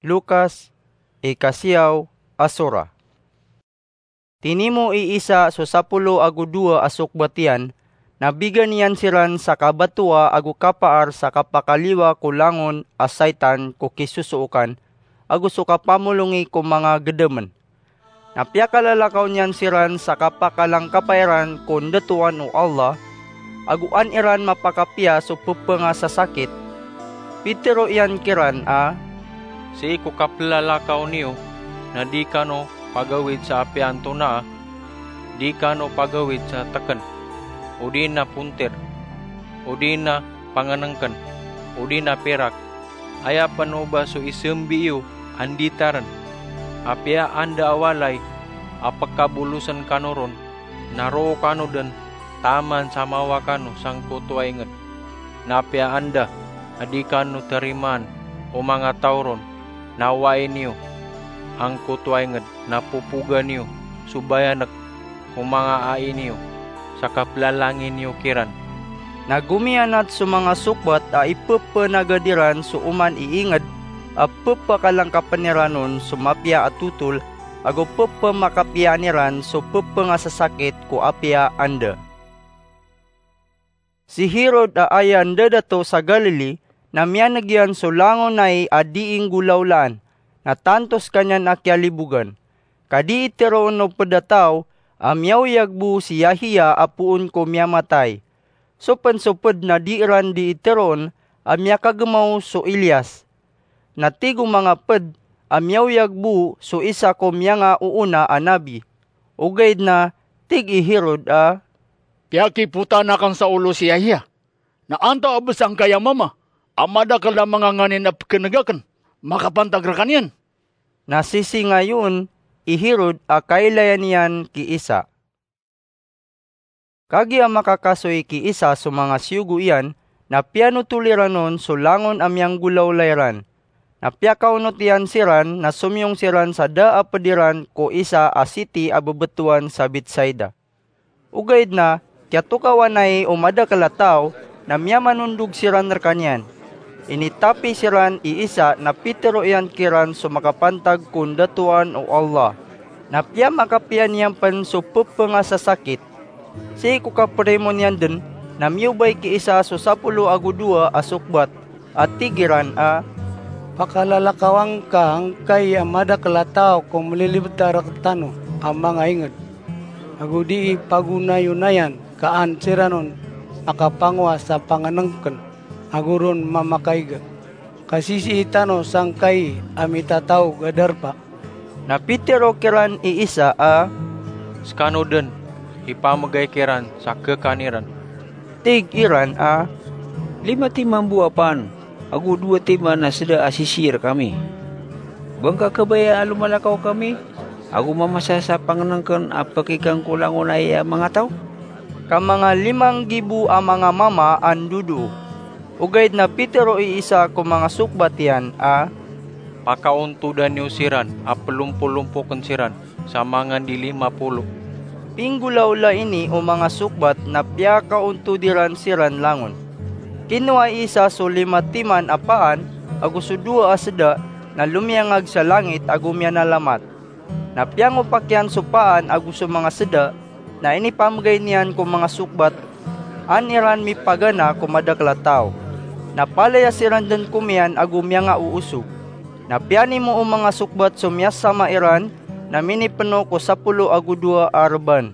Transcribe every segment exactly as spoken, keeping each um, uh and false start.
Lukas, ikasiyaw a sura. Tinimo i Isa so sapolo ago dowa a sokbat iyan, na bigan iyan siran sa kabatowa ago kapaar sa kapakaliwa ko langon a saitan ko kisosookan, ago so kapamolongi ko manga gedemon. Na piyakalalakaw niyan siran sa kapakalangkapa iran ko ndatoan o Allah, ago an iran mapakapiya so pepengasasakit. Pitero iyan kiran a, "Sii ko kapelalakaw niyo, na di kano pagawid sa apiya antonaa, di kano pagawid sa teken, odi na pontir, odi na pangenengken, odi na pirak. Aya pen o ba so isembi iyo a nditaren. Apiya anda a walay a pekabolosen kano ron, na roo kano den taman sa mawa kano sangkoto a inged. Na apiya anda a di kano terimaan o manga taw ron, na wai niyo angkoto a inged, na popoga niyo so bayanek o manga ai niyo sa kapelalangi niyo kiran." Na gomiyanat so manga sokbat a ipepenagad iran so oman i inged a pepakalangkapen iran on so mapiya a totol, ago pepemakapiyaan iran so pepengasasakit ko apiya anda. Si Herod a aya ndadato sa Galili, na miyaneg iyan so langon ai a dii nggolawlaan, na tanto sekaniyan a kiyalibogan. Ka dii teroon o ped a taw a miyaoyag bo si Yahiya a poon ko miyamatay. So pen so ped na dii ran dii teroon a miyakagemaw so Elias. Na tig o manga ped a miyaoyag bo so isa ko miyangaoona a nabi. Ogaid na tig i Herod a, "Piyakipotaan aken sa olo si Yahiya. Na antaa bes angkaya mama a madakel a manga nganin a pekenegaken, makapantag rekaniyan?" Na sisii ngayon i Herod a kailayan iyan ki Isa. Kagiya makakasoy ki Isa so manga siyogo iyan, na piyanotol iran on so langon a miyanggolawla iran. Na piyakaonot iyan siran, na somiyong siran sa da a ped iran ko isa a siti a bebetowan sa Betsaida. Ogaid na kiyatokawan ai o madakel a taw, na miyamanondog siran rekaniyan. Initapi siran i Isa na pitero iyan kiran so makapantag ko ndatoan o Allah. Na piyamakapiya niyan pen so pepengasasakit. Sii ko kaperimo niyan den, na miyobay ki Isa so sapolo ago dowa a sokbat, a tig iran a, "Pakalalakawan ka angkai a madakel a taw ko melilibet a rektano a manga inged, ago dii pagonayonayan ka an siran on makapangowa sa pangenengken ago ron mamakaiga. Ka sisii tano sangkai a mitataog a darpa." Na pitero kiran i Isa a, "Sekano den, ipamegay kiran sa kekan iran." Tig iran a, "Lima timan bo a paan, ago dowa timan a seda a sisii rekami. Ba ngka kabaya a lomalakaw kami, ago mamasa sa pangenengken a pekikan ko langon ai a manga taw?" Ka manga lima nggibo a manga mama a ndodoo. Ogaid na pitero i Isa ko manga sokbat iyan a, "Pakaontoda niyo siran a pelompolompoken siran sa mangan di lima polo." Pinggolawla ini o manga sokbat na piyakaontod iran siran langon. Kinowa i Isa so lima timan a paan ago so dowa a seda, na lomiyangag sa langit ago miyanalamat. Na piyangopak iyan so paan ago so manga seda, na inipamegay niyan ko manga sokbat, an iran mipagana ko madakel a taw. Na palaya siran den komiyan ago miyangaoosog. Na piyanimo o manga sokbat so miyasama iran, na minipeno ko sapolo ago dowa a reban.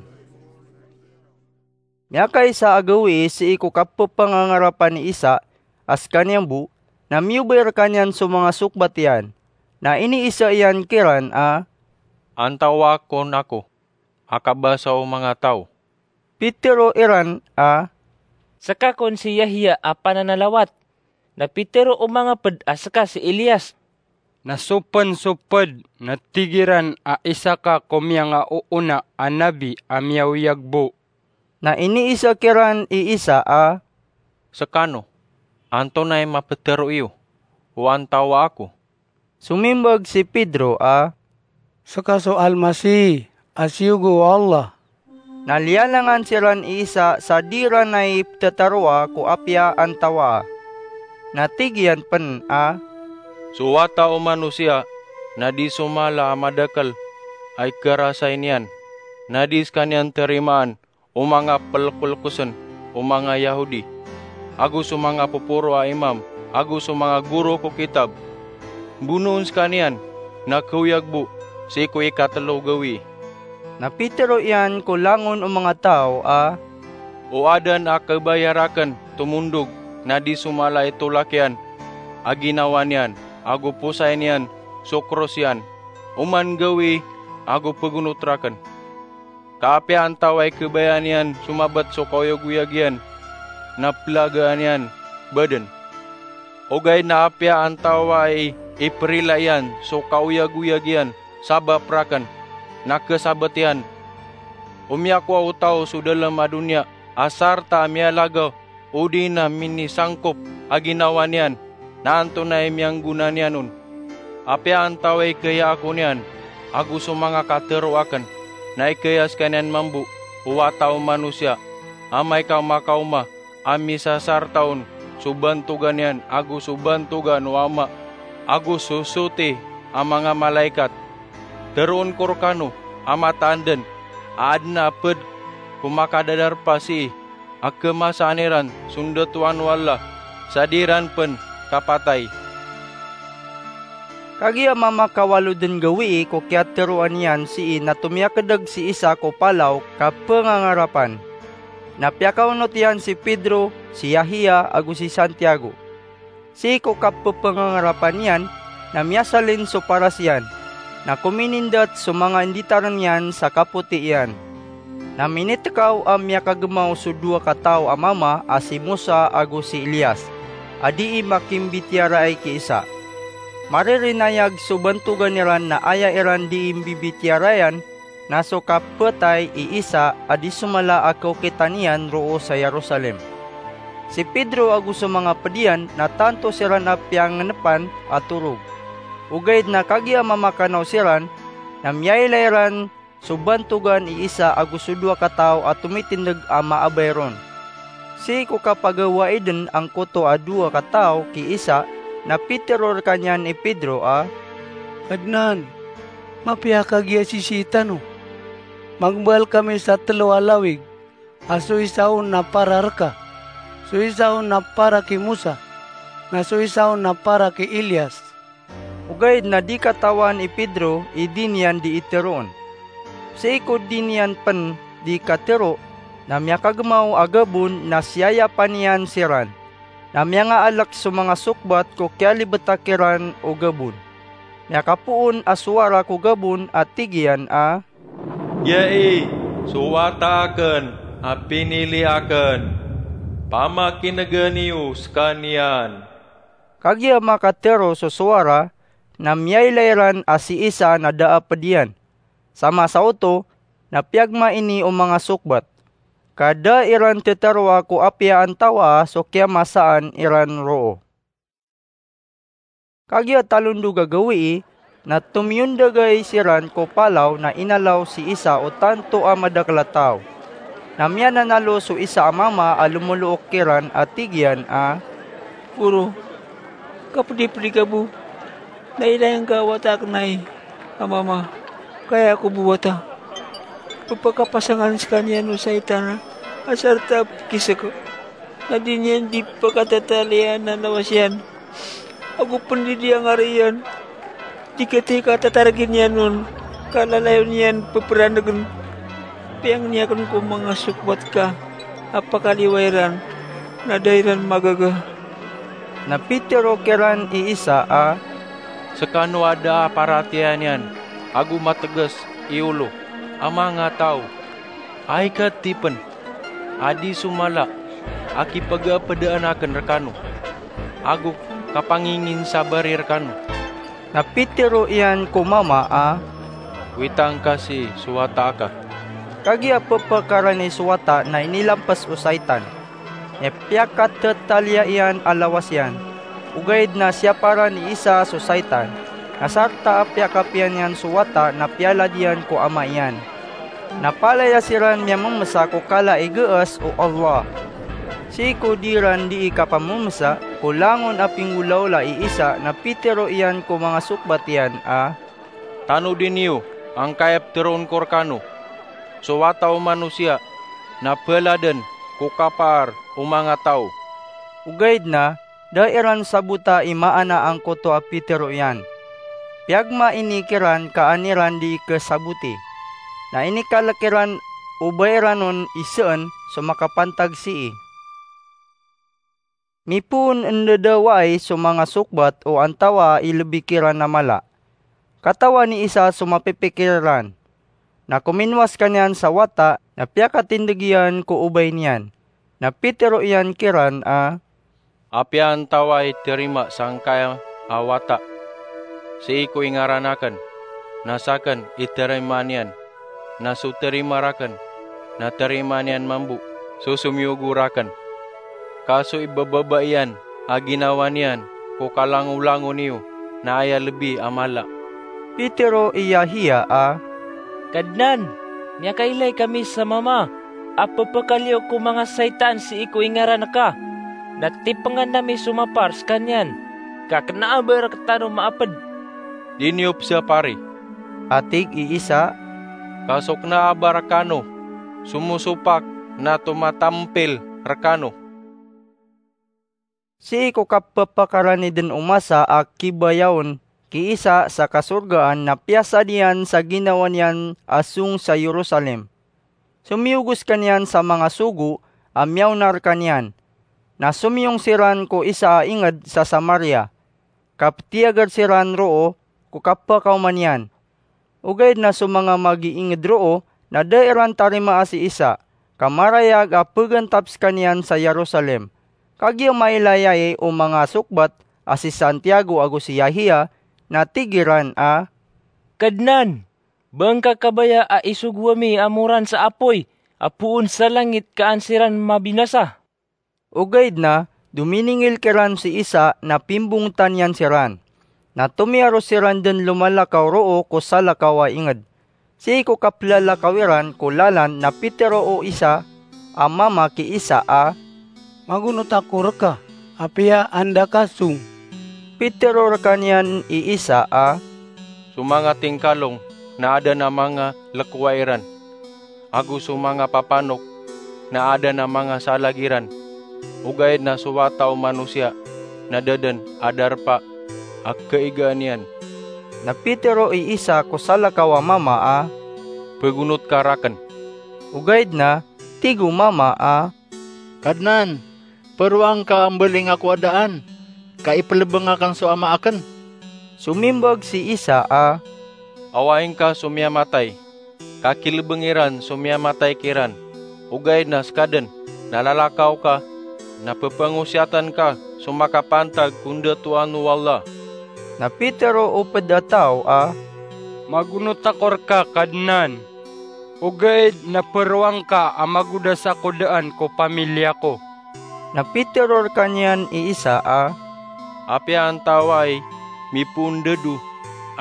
Miyakaisa a gawii sii ko kapepangangarapan i Isa a sekaniyan bo, na miyobay rekaniyan so manga sokbat iyan. Na iniisa iyan kiran a, "Antawaa kon ako a kabasa o manga taw?" Pitero iran a, "Seka kon si Yahya a pananalawat." Na pitero o manga ped a seka si Elias. Na so pen so ped na tig iran a isa ka ko miyangaoona a nabi a miyaoyag bo. Na iniisa kiran i Isa a, "Sekano, antonaa i mapetero iyo o antawaa ako?" Somimbag si Pedro a, "Seka so Almasih a siyogo o Allah." Na liyalangan siran i Isa sa di iran ai petetaroa ko apiya antawaa. Na tig iyan pen a, So Wata o Manosiya na di so mala a madakl a ikarasay niyan, na di skaniyan tarimaan o manga plkoplkosen o manga Yahodi, ago so manga poporo a imam, ago so manga goro ko kitab. Bonoon skaniyan, na kaoyag bo sii ko ikatlo gawii." Na pitero iyan ko langon o manga taw a, "O aden a kabaya rakn tomondog na di so mala i tolak iyan a ginawa niyan, ago posay niyan so kros iyan, oman gawii ago pgonot rakn. Ka apiya antawaa i kabaya niyan so mabt so kaoyagoyag iyan, na plagaan iyan baden. Ogaid na apiya antawaa i iprila iyan so kaoyagoyag iyan sabap rakn, na khasabt iyan. O miyakowa o taw so dalm a doniya a sarta a miyalagaw odi na minisangkop a ginawa niyan, na antonaa i miyanggona niyan on? Apiya antawaa i khayaako niyan ago so manga katero akn, na ikaya skaniyan mambo o Wata o Manosiya, amay ka makaoma a misasarta on so bantogan iyan ago so bantogan o Ama ago so soti a manga malaikat. Teroon ko rkano a mataan den a aden a pd ko makadadarpa sii a khamasaan iran so ndatoan o Allah, sa di ran pn kapatay." Kagiya mamakawalo den gawii ko kiyateroan iyan sii na tomiyakdg si Isa ko palaw ka pngangarapan. Na piyakaonot iyan si Pedro, si Yahiya, ago si Santiago. Sii ko kapphangangarapan iyan na miyasalin so paras iyan, na kominindat so manga inditarn iyan sa kapoti iyan. Na minitkaw a miyakagmaw so dowa ka taw a mama a si Mosa ago si Elias, a dii makimbitiyaraay ki Isa. Maririnayag so bantogan iran na aya iran dii mbibitiyarayan na so kapatay i Isa a di so mala a kaokitan iyan roo sa Jerusalem. Si Pedro ago so manga pd iyan na tanto siran a piyangnpan a torog. Ogaid na kagiya mamakanaw siran, na miyailay ran so bantogan i Isa ago so dowa ka taw a tomitindg a maabay ron. Sii ko kapagawai den angkoto a dowa ka taw ki Isa, na pitero rkaniyan i Pedro a, "Kadnan, mapiya kagiya sisii tano? Magmbal kami sa tlo a lawig, a so isa on na para rka, so isa on na para ki Mosa, na so isa on na para ki Elias." Ogaid na di katawan i Pedro i di niyan dii teroon. Sii ko di niyan pn dii katero, na miyakagmaw a gabon na siyayapan iyan siran. Na miyangaalk so manga sokbat ko kiyalibta kiran o gabon. Miyakapoon a sowara ko gabon a tig iyan a, "Giyai so Wata akn a pinili akn. Pamakinega niyo skaniyan." Kagiya makatero so sowara, na miyailay ran a si Isa na da a pd iyan. Sa masa oto, na piyagmaini o manga sokbat, ka da iran tetaroa ko apiya antawaa so kiyamasaan iran roo. Kagiya talondog a gawii, na tomiyondagay siran ko palaw na inalaw si Isa o tanto a madakl a taw. Na miyananalo so isa a mama a lomolook kiran a tig iyan a, "Goro, kapdipdi ka bo, na ilay ngka a wata akn ai a mama, ka aya ko bo wata. Pphakapasangan skaniyan o saitan a sarta a pkisek, na di niyan di pkatataliyaan a lawas iyan, ago pn di dii angariyan. Di katii ka tatargin iyan on, ka lalayon iyan ppranegen. Piyangni akn ko manga sokbat ka a pakaliwai ran, na da iran magaga." Na pitero kiran i Isa a, "Skano a da a paratiyaya niyan ago matgs i olo a manga taw, ai ka tipen a di so mala a kipagapdaan akn rkano ago kapanginginsabari rkano." Na pitero iyan ko mama a, "Witang ka sii so wata aka." Kagiya pphakarani so wata na inilamps o saitan. Aya piyakathataliya iyan a lawas iyan. Ogaid na siyaparan i Isa so saitan, na sarta a piyakapiya niyan so wata na piyalad iyan ko ama iyan. Na palaya siran miyamemesa ko kala i geas o Allah. Sii ko di ran dii kapamemesa ko langon a pinggolaola i Isa na pitero iyan ko manga sokbat iyan a, "Tanodi niyo angkai a pteroon ko rekano, so Wata o Manosiya na peladen ko kapaar o manga taw." Ogaid na da iran sabota i maana angkoto a pitero iyan. Piyagmaini kiran ka an iran dii kesaboti. Na inikalek iran o ba iran on iseen so makapantag sii. Mipoon en dadawaay so manga sokbat o antawaa i lebi kiran a mala. Katawan i Isa so mapipikir iran. Na kominowa sekaniyan sa wata na piyakatindeg iyan ko obay niyan. Na pitero iyan kiran a, "Apiya antawaa i terima sangkaya a wata sii ko ingaran aken, na saken i terima niyan, na so terima raken, na terima niyan mambo so somiyogo raken. Ka so ibebaba iyan a ginawa niyan ko kalangolangon iyo na aya lebi a mala." Pitero i Yahiya a, "Kadnan, miyakailay kami sa mama a pepekaliyo ko manga saitan sii ko ingaran ka. Na tipengan ami so mapar sekaniyan, ka kena a ba rektano maaped." "Di niyo pesapari," a tig i Isa, "ka so kena a ba rekano so mosopak na tomatampil rekano." Sii ko kapepakaraniden o masa a kibayaon ki Isa sa kasorgaan na piyasad iyan sa ginawa niyan a song sa Jerusalem. Somiyogo sekaniyan sa manga sogo a miyaona rekaniyan. Na somiyong siran ko isa a inged sa Samaria. Kapetiyagad siran roo ko kapakaoma niyan. Ogaid na so manga magiinged roo na da iran tarimaa si Isa, ka marayag a pegantap sekaniyan sa Jerusalem. Kagiya mailayai o manga sokbat a si Santiago ago si Yahiya, na tig iran a, "Kadnan, ba ngka kabaya a isogo ami a moran sa apoy a poon sa langit ka an siran mabinasa?" Ogaid na dominingil kiran si Isa na pimbongetan iyan siran. Na tomiyaros siran den lomalakaw roo ko salakaw a inged. Sii ko kaplalakaw iran ko lalan na pitero o isa a mama ki Isa a, "Magonot ako reka, apiya anda ka song." Pitero rekaniyan i Isa a, "So manga tingkalong na aden a manga lekowa iran, ago so manga papanok na aden a manga salag iran, ogaid na so Wata o Manosiya na da den a darpa a kaigaan iyan." Na pitero i Isa ko salakaw a mama a, "Pegonot ka raken." Ogaid na tig o mama a, "Kadnan, peroang ka a mbaling ako a daan ka ipelebeng aken so ama aken." Somimbag si Isa a, "Awaing ka so miyamatay, ka kilebeng iran so miyamatay kiran. Ogaid na seka den na lalakaw ka, na pepangosiyatan ka so makapantag ko ndatoan o Allah." Na pitero o ped a taw a, "Magonot ako reka, Kadnan, ogaid na peroang ka a magodas ako daan ko pamiliya ko." Na pitero rekaniyan i Isa a, "Apiya antawaa i mipoon dedo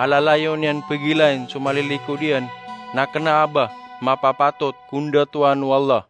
a lalayon iyan pegilain so malilikod iyan, na kena a ba mapapatot ko ndatoan o Allah."